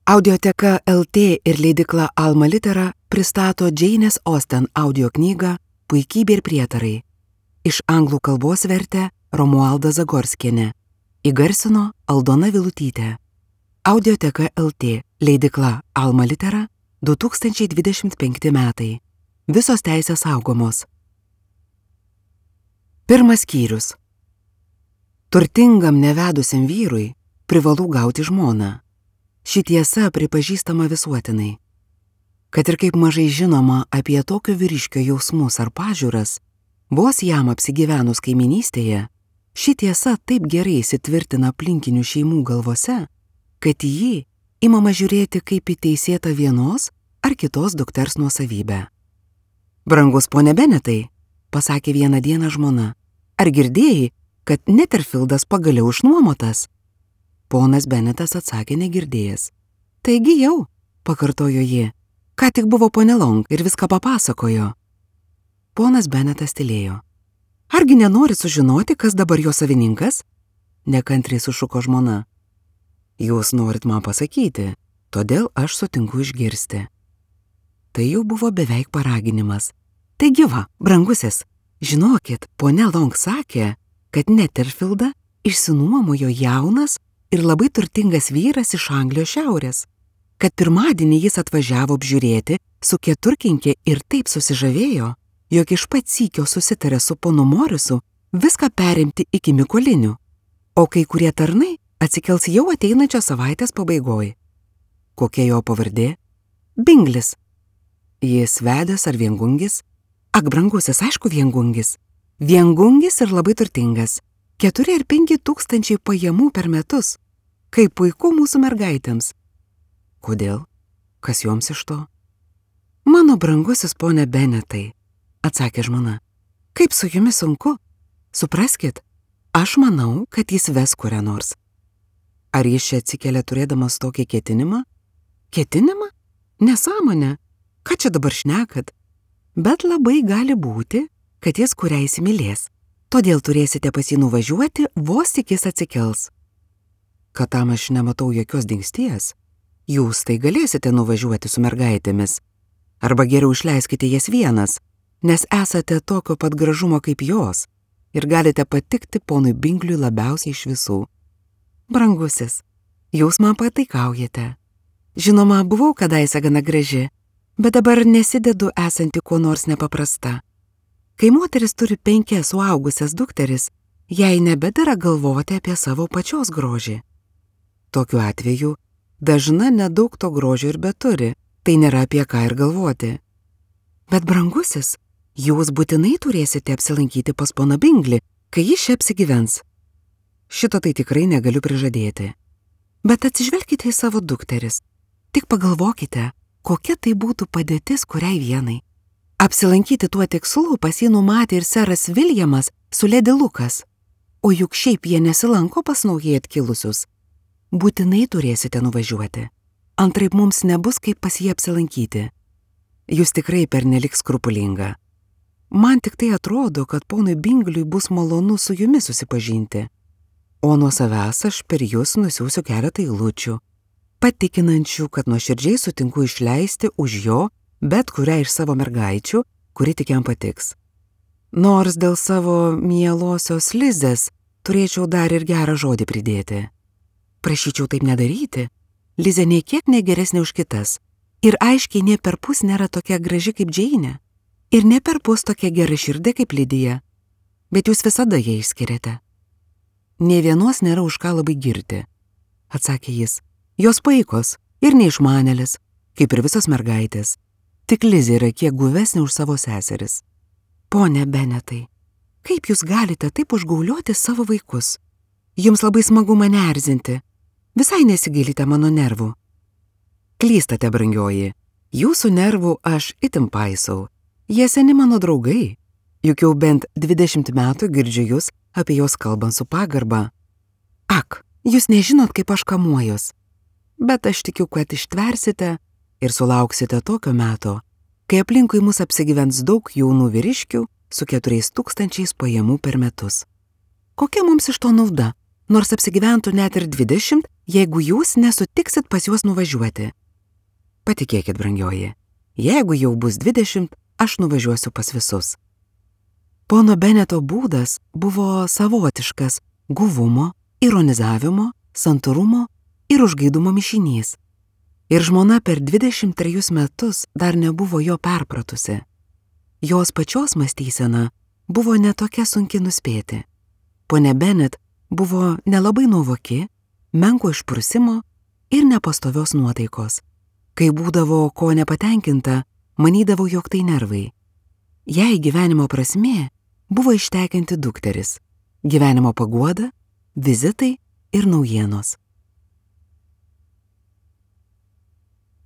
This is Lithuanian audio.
Audioteka LT ir leidykla Alma Litera pristato Džeinės Austen audio knygą Puikybė ir prietarai. Iš anglų kalbos vertė Romualda Zagorskienė. Įgarsino Aldona Vilutytė. Audioteka LT, leidykla Alma Litera, 2025 metai. Visos teisės saugomos. Pirmas skyrius. Turtingam nevedusiam vyrui privalu gauti žmoną. Ši tiesa pripažįstama visuotinai. Kad ir kaip mažai žinoma apie tokio vyriškio jausmus ar pažiūras, vos jam apsigyvenus kaiminystėje, ši tiesa taip gerai įsitvirtina aplinkinių šeimų galvose, kad į jį imama žiūrėti kaip į teisėtą vienos ar kitos dukters nuosavybę. Brangus pone Benetai, pasakė vieną dieną žmona, ar girdėjai, kad Netherfieldas pagaliau išnuomotas? Ponas Benetas atsakė negirdėjęs. Taigi jau, pakartojo ji, ką tik buvo ponė Long ir viską papasakojo. Ponas Benetas tylėjo. Argi nenori sužinoti, kas dabar jo savininkas? Nekantriai sušuko žmona. Jūs norit man pasakyti, todėl aš sutinku išgirsti. Tai jau buvo beveik paraginimas. Taigi va, brangusis, žinokit, ponė Long sakė, kad Netherfieldą išsinuomojo jaunas ir labai turtingas vyras iš Anglijos šiaurės, kad pirmadienį jis atvažiavo apžiūrėti su keturkinkė ir taip susižavėjo, jog iš pat sykio susitarė su ponu Morisu viską perimti iki Mikolinių, o kai kurie tarnai atsikels jau ateinančios savaitės pabaigoj. Kokia jo pavardė? Binglis. Jis vedęs ar viengungis? Ak, brangusis, aišku, viengungis. Viengungis ir labai turtingas. 4 ar 5 tūkstančiai pajamų per metus. Kaip puiku mūsų mergaitėms. Kodėl? Kas joms iš to? Mano brangusis pone Benetai, atsakė žmona. Kaip su jumis sunku? Supraskit, aš manau, kad jis ves kurią nors. Ar jis čia atsikėlė turėdamas tokį ketinimą? Ketinimą? Nesąmonė. Ką čia dabar šnekat? Bet labai gali būti, kad jis kurią įsimylės. Todėl turėsite pas jį nuvažiuoti, vos tik jis atsikels. Kad tam aš nematau jokios dingsties, jūs tai galėsite nuvažiuoti su mergaitėmis. Arba geriau išleiskite jas vienas, nes esate tokio pat gražumo kaip jos ir galite patikti ponui Bingliui labiausiai iš visų. Brangusis, jūs man pataikaujate. Žinoma, buvau kadaise gana graži, bet dabar nesidedu esanti kuo nors nepaprasta. Kai moteris turi 5 suaugusias dukteris, jai nebedera galvoti apie savo pačios grožį. Tokiu atveju dažna nedaug to grožio ir beturi, tai nėra apie ką ir galvoti. Bet brangusis, jūs būtinai turėsite apsilankyti pas poną Binglį, kai jis čia apsigyvens. Šito tai tikrai negaliu prižadėti. Bet atsižvelkite į savo dukteris. Tik pagalvokite, kokia tai būtų padėtis kuriai vienai. Apsilankyti tuo tikslu pas jį numatė ir seras Viljamas su Ledi Lukas, o juk šiaip jie nesilanko pas naujai atkilusius. Būtinai turėsite nuvažiuoti. Antraip mums nebus kaip pas jį apsilankyti. Jūs tikrai pernelik skrupulinga. Man tik tai atrodo, kad ponui Bingliui bus malonu su jumis susipažinti. O nuo savęs aš per jūs nusiųsiu keletą eilučių, patikinančių, kad nuoširdžiai sutinku išleisti už jo bet kurią iš savo mergaičių, kuri tik jam patiks. Nors dėl savo mielosios Lizės turėčiau dar ir gerą žodį pridėti. Prašyčiau taip nedaryti. Lizė nei kiek negeresnė už kitas. Ir aiškiai ne perpus nėra tokia graži kaip Džeinė. Ir ne perpus tokia gera širdė kaip Lidija. Bet jūs visada ją išskiriate. Nė vienos nėra už ką labai girti, atsakė jis. Jos paikos ir neišmanėlis, kaip ir visos mergaitės. Tik Lizė yra kiek guvesnė už savo seseris. Pone Benetai, kaip jūs galite taip užgaulioti savo vaikus? Jums labai smagu mane erzinti. Visai nesigilite mano nervų. Klystate, brangioji. Jūsų nervų aš itin paisau. Jie seni mano draugai. Juk jau bent 20 metų girdžiu jūs apie jos kalbant su pagarba. Ak, jūs nežinot, kaip aš kamuojus. Bet aš tikiu, kad ištversite ir sulauksite tokio meto, kai aplinkui mus apsigyvens daug jaunų vyriškių su 4 tūkstančiais pajamų per metus. Kokia mums iš to nauda? nors apsigyventų net ir 20, jeigu jūs nesutiksit pas juos nuvažiuoti. Patikėkit, brangioji, jeigu jau bus 20, aš nuvažiuosiu pas visus. Pono Beneto būdas buvo savotiškas guvumo, ironizavimo, santūrumo ir užgaidumo mišinys. Ir žmona per 23 metus dar nebuvo jo perpratusi. Jos pačios mąstysena buvo netokia sunki nuspėti. Pone Benet buvo nelabai nuovoki, menko išprusimo ir nepastovios nuotaikos. Kai būdavo ko nepatenkinta, manydavo, jog tai nervai. Jei gyvenimo prasmė buvo ištekinti dukteris, gyvenimo paguoda, vizitai ir naujienos.